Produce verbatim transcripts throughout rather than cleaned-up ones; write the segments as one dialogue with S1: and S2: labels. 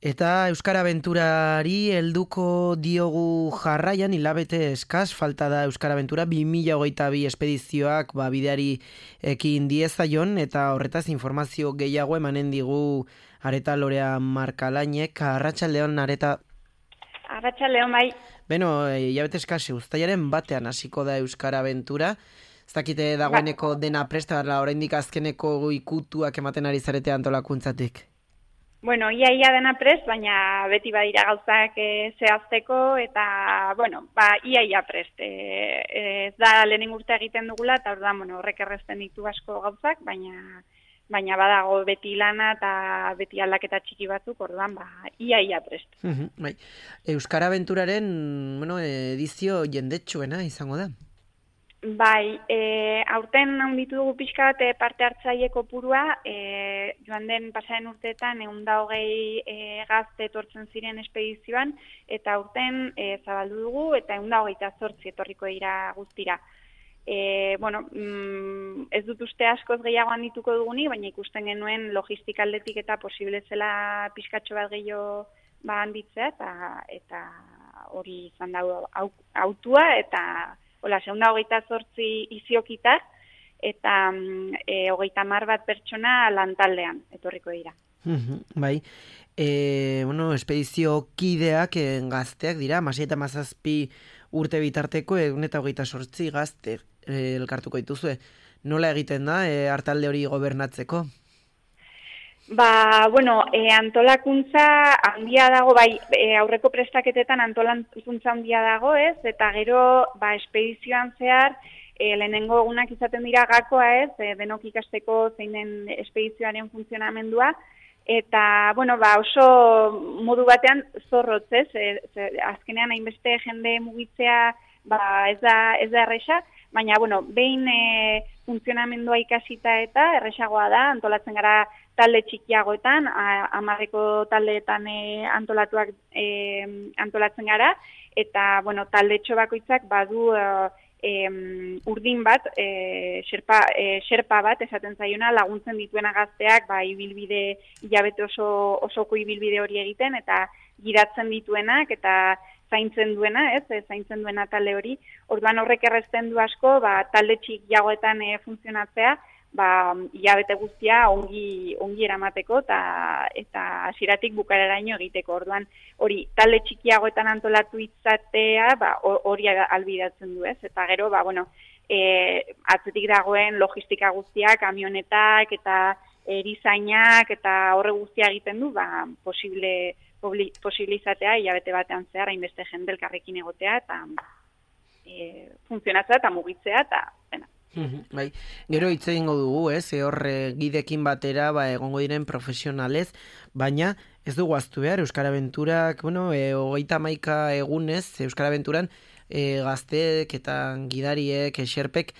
S1: Eta Euskara Abenturari helduko diogu jarraian, hilabete eskaz, falta da Euskara Abentura, bi mila hogeita bi espedizioak ba, bideari ekin diezaion, eta horretaz informazio gehiago emanen digu Areta Lorea Markalainek. Arratsaldeon, Areta.
S2: Arratsaldeon, bai.
S1: Beno, hilabete eskaz, uztailaren batean hasiko da Euskara Abentura. Ez dakite dagoeneko dena presta, oraindik azkeneko ikutuak ematen ari zarete antolakuntzatik.
S2: Bueno, ia ia dena prest, baina beti badira gauzak e, zehazteko eta, bueno, ba, ia ia prest. E, e, ez da lehenengo urte egiten dugula, eta orduan, bueno, horrek erresten ditu asko gauzak, baina baina badago beti lana eta beti aldaketa txiki batzuk, orduan, ba, ia ia prest.
S1: Uh-huh, bai. Euskara Abenturaren, bueno, edizio jendetsuena izango da.
S2: Bai, e, aurten handitu dugu pixka bat e, parte hartzaile kopurua, e, joan den pasaren urteetan ehun eta hogei e, gazte etortzen ziren espedizioan, eta aurten e, zabaldu dugu, eta ehun eta hogeita zortzi etorriko dira guztira. E, bueno, mm, ez dut uste askoz gehiago handituko dugunik, baina ikusten genuen logistikaldetik eta posible zela pixkatxo bat gehiago ba handitzea, eta, eta hori izan da autua, eta hola, segunda hogeita zortzi iziokitak, eta e, hogeita mar bat pertsona lantaldean, etorriko dira.
S1: Bai, e, bueno, espedizio kideak e, gazteak dira, masei eta mazazpi urte bitarteko, egun eta hogeita zortzi gazte e, elkartuko dituzue. Nola egiten da, e, hartalde hori gobernatzeko?
S2: Ba, bueno, e, antolakuntza handia dago, bai, e, aurreko prestaketetan antolakuntza handia dago, ez? Eta gero, ba, espedizioan zehar, e, lehenengo egunak izaten dira gakoa, ez? E, denok ikasteko zein den espedizioaren funtzionamendua, eta, bueno, ba, oso modu batean zorrotz, ez? E, ze, azkenean hainbeste jende mugitzea, ba, ez da, ez da erresa, baina, bueno, behin e, funtzionamendua ikasita eta erresagoa da, antolatzen gara talde txikiagoetan, hamarreko taldeetan e, antolatuak e, antolatzen gara, eta, bueno, talde bakoitzak badu e, urdin bat, e, xerpa, e, xerpa bat, esaten zaiona, laguntzen dituena gazteak, ba, ibilbide, hilabete oso, osoko ibilbide hori egiten, eta giratzen dituenak, eta zaintzen duena, ez, e, zaintzen duena talde hori. Orduan horrek errezten du asko, ba, talde txikiagoetan e, funtzionatzea, ba, hilabete guztia ongi, ongi eramateko eta eta hasieratik bukareraino egiteko. Orduan, hori talde txikiagoetan antolatu izatea, ba, hori albidatzen du, ez? Eta gero, ba, bueno, e, atzetik dagoen logistika guztiak, kamionetak eta erizainak eta horre guztia egiten du, ba, posible, posible izatea hilabete batean zehar, hainbeste jende elkarrekin egotea eta e, funtzionatzea eta mugitzea eta bena.
S1: Bai, gero hitz egingo dugu, ez, horre gidekin batera ba, egongo diren profesionalez, baina ez dugu ahaztu behar, Euskara Abenturak, bueno, e, hogeita hamaika egunez, Euskara Abenturan e, gazteek eta gidariek, eserpek,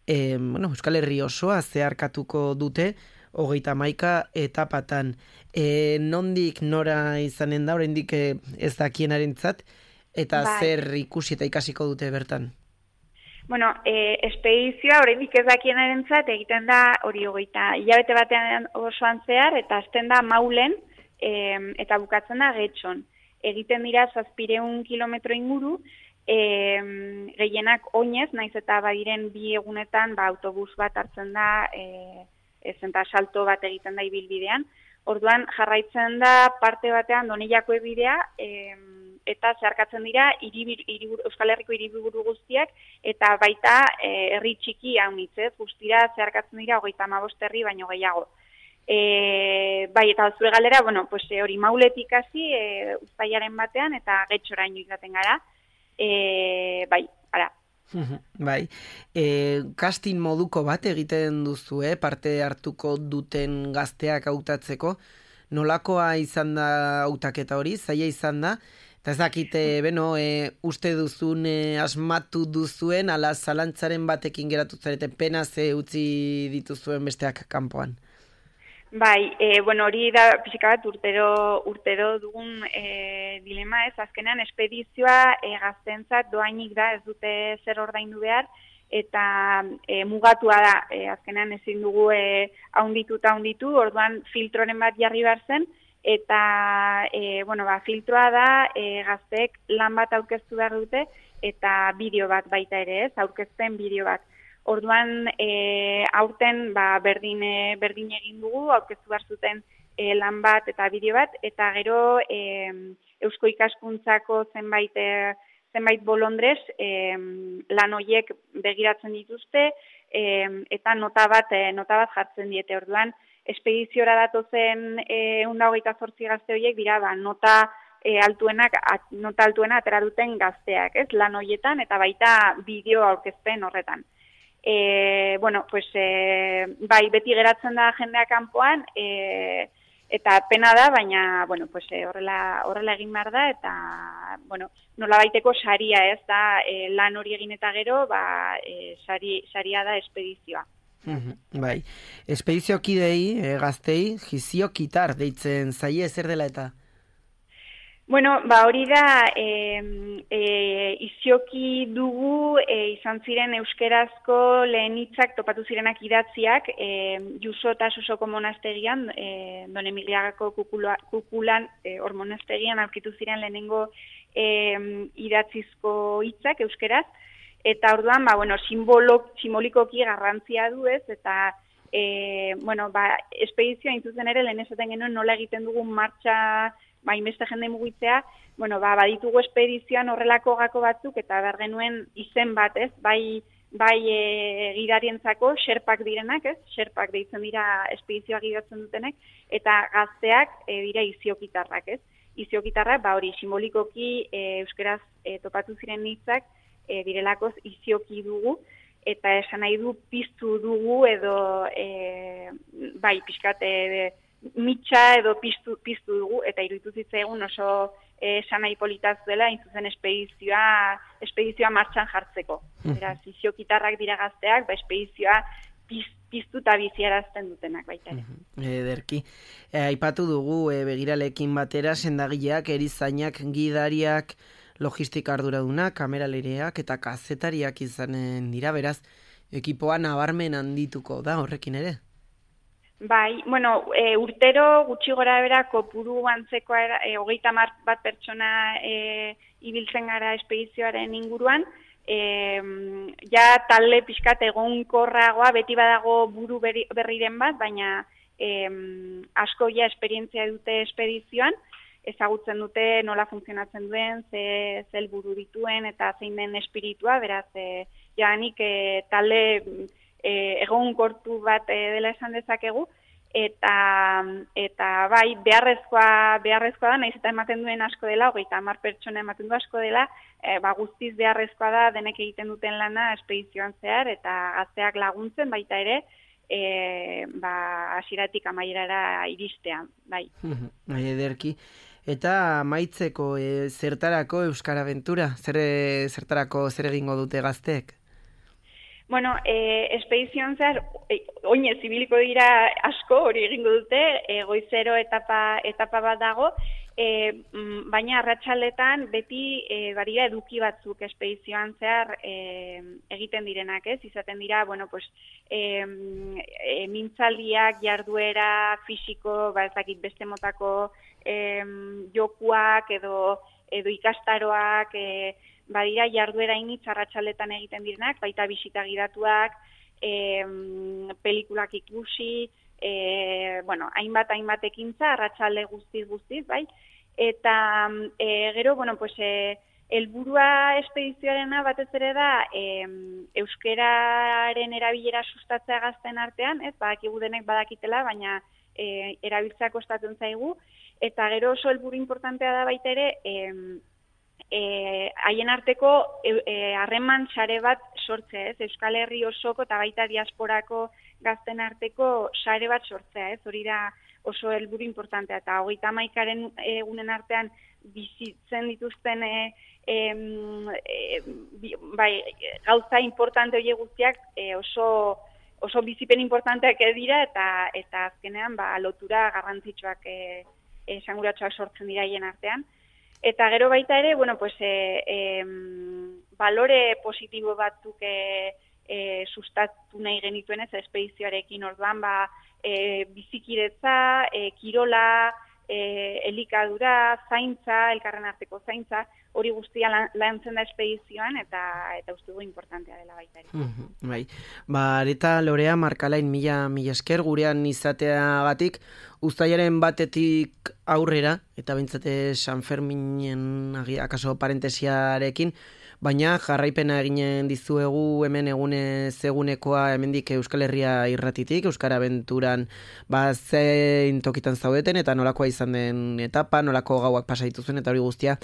S1: e, bueno, Euskal Herri osoa zeharkatuko dute, hogeita hamaika etapatan. E, nondik nora izanen da, oraindik ez dakienarentzat, eta bai, zer ikusi eta ikasiko dute bertan?
S2: Bueno, e, espedizioa oraindik ez dakienarentzat egiten da hori hogeita hilabete batean osoan zehar eta hasten da Maulen e, eta bukatzen da Getxon. Egiten dira zazpiehun kilometro inguru, e, gehienak oinez, naiz eta badiren bi egunetan ba, autobus bat hartzen da, e, ez eta salto bat egiten da ibilbidean. Orduan jarraitzen da parte batean Doneiako bidea, e, eta zeharkatzen dira iribir, iribur, Euskal Herriko hiriburu guztiak, eta baita e, herri txiki haunitzez, guztira zeharkatzen dira hogeita hamabost herri baino gehiago. E, bai, eta zure galera, bueno, pues, e, hori Mauletik hasi e, uztailaren batean, eta Getxoraino izaten gara, e, bai, ara.
S1: Bai, e, casting moduko bat egiten duzu, eh? Parte hartuko duten gazteak hautatzeko, nolakoa izan da hautaketa hori, zaila izan da, eta ez dakite, beno, e, uste duzun, e, asmatu duzuen, ala zalantzaren batekin geratu zarete, pena ze utzi dituzuen besteak kanpoan.
S2: Bai, e, bueno, hori da pixka bat urtero, urtero dugun e, dilema ez, azkenean espedizioa e, gaztentzat doainik da, ez dute zer ordaindu behar, eta e, mugatua da, e, azkenean ezin dugu e, haunditu eta haunditu, orduan filtroren bat jarri behar zen, eta e, bueno, ba, filtroa da e, gazteek lan bat aurkeztu behar dute eta bideo bat baita ere, ez, aurkezten bideo bat. Orduan, e, aurten ba, berdin, e, berdin egin dugu, aurkeztu behar zuten e, lan bat eta bideo bat, eta gero e, Eusko Ikaskuntzako zenbait, e, zenbait bolondrez e, lan horiek begiratzen dituzte, e, eta nota bat, e, nota bat jartzen diete. Orduan, espediziora datozen ehun eta hogeita zortzi gazte horiek dira, ba, nota e, altuenak, at, nota altuena atera duten gazteak, ez, lan horietan, eta baita bideo aurkezpen horretan. E, bueno, pues, e, bai, beti geratzen da jendea kanpoan, e, eta pena da, baina, bueno, pues, e, horrela, horrela egin behar da, eta, bueno, nola baiteko saria, ez da, e, lan hori egin eta gero, ba, e, sari, saria da espedizioa.
S1: Bai, espedizio kidei, e, gaztei, gizio kitar deitzen zaie, zer dela eta?
S2: Bueno, ba hori da, e, e, izioki dugu e, izan ziren euskerazko lehen hitzak topatu zirenak idatziak, e, Juso eta Sosoko monastegian, e, Don Emiliagako kukula, kukulan, e, hor monastegian aurkitu ziren lehenengo e, idatzizko hitzak euskeraz, eta orduan, ba, bueno, simbolo, simbolikoki garrantzia du ez, eta e, bueno, ba, espedizioa intzuzen ere lehen esaten genuen nola egiten dugun martxa, ba, inbeste jende mugitzea, bueno, ba, baditugu espedizioan horrelako gako batzuk, eta behar genuen izen bat, ez, bai, bai e, gidarientzako, xerpak direnak, ez, xerpak deitzen dira espedizioa gidatzen dutenek, eta gazteak e, dira iziokitarrak, ez, iziokitarrak, ba, hori, simbolikoki e, euskeraz e, topatu ziren hitzak, e, direlakoz izioki dugu, eta esan nahi du piztu dugu, edo, e, bai, pixkate, e, mitxa edo piztu, piztu dugu, eta iruditu zitzaigun oso eh, sanai politaz dela, intzuzen espedizioa, espedizioa martxan jartzeko. Beraz, iziokitarrak dira gazteak, ba, espedizioa piz, piztu eta biziarazten dutenak baita ere.
S1: Ederki. E, aipatu dugu e, begiralekin batera, sendagileak, erizainak, gidariak, logistika arduradunak, kameralereak eta kazetariak izanen dira, beraz, ekipoa nabarmen handituko da horrekin ere?
S2: Bai, bueno, e, urtero gutxi gora bera kopuru antzekoa e, hogeita hamar bat pertsona e, ibiltzen gara espedizioaren inguruan, e, ja talde pixkat egonkorragoa, beti badago buru berri, berriren bat, baina e, asko ja esperientzia dute espedizioan, ezagutzen dute nola funtzionatzen duen, ze, ze helburu dituen eta zein den espiritua, beraz, e, ja nik e, talde E, egon kortu bat e, dela esan dezakegu, eta, eta bai, beharrezkoa, beharrezkoa da, nahiz eta ematen duen asko dela, hogeita hamar pertsona ematen du asko dela, e, ba, guztiz beharrezkoa da denek egiten duten lana espedizioan zehar, eta gazteak laguntzen baita ere, e, ba, hasieratik amaierara iristean, bai.
S1: Bai, ederki. Eta amaitzeko, e, zertarako Euskara Aventura? Zer, zertarako zer egingo dute gazteek?
S2: Bueno, eh, espedizioan zehar, eh, oinez ibiliko dira asko, hori egingo dute, eh, goizero etapa, etapa bat dago, eh, baina arratsaletan beti eh, barira eduki batzuk espedizioan zehar eh, egiten direnak, ez? Izaten dira, bueno, pues, eh, eh, mintzaldiak, jarduera, fisiko, ba, ez dakit beste motako eh, jokuak edo, edo ikastaroak, eh, badira jarduera initz arratsaletan egiten direnak, baita bisita gidatuak, e, pelikulak ikusi, e, bueno, hainbat hainbat ekintza arratsalde guztiz guztiz, bai. Eta e, gero, bueno, pues e, helburua espedizioarena batez ere da e, euskeraren erabilera sustatzea gazten artean, ez? Badakigu denek badakitela, baina e, erabiltzea kostatzen zaigu, eta gero oso helburu importantea da baita ere, e, haien e, arteko harreman e, sare bat sortzea, ez? Euskal Herri osoko eta baita diasporako gazten arteko sare bat sortzea, ez? Hori da oso helburu importantea, eta hogeita hamaikaren egunen artean bizitzen dituzten e, e, e, bai, gauza importante horiek guztiak e, oso oso bizipen importanteak dira, eta eta azkenean ba, lotura garrantzitsuak e, esanguratsuak sortzen dira haien artean. Eta gero baita ere, bueno, pues, e, e, balore positibo batzuk e, e, sustatu nahi genituen ez espedizioarekin, orduan, ba, e, bizikidetza, e, kirola, e, elikadura, zaintza, elkarren arteko zaintza, hori guztia lan, lantzen da espedizioan, eta eta uste du importantea dela baita ere.
S1: Mhm, bai. Ba, areta Lorea Markalain mila mila esker gurean izateagatik, uztailaren batetik aurrera, eta bintzate San Ferminen agi- akaso parentesiarekin, baina jarraipena eginen dizuegu hemen egunez egunekoa hemendik Euskal Herria irratitik, Euskara Abenturan ba, zein tokitan zaudeten, eta nolakoa izan den etapa, nolako gauak pasa dituzuen, eta hori guztia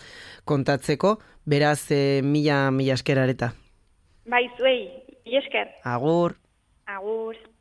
S1: kontatzeko, beraz e, mila mila esker areta.
S2: Bai, zuei, mila esker.
S1: Agur!
S2: Agur.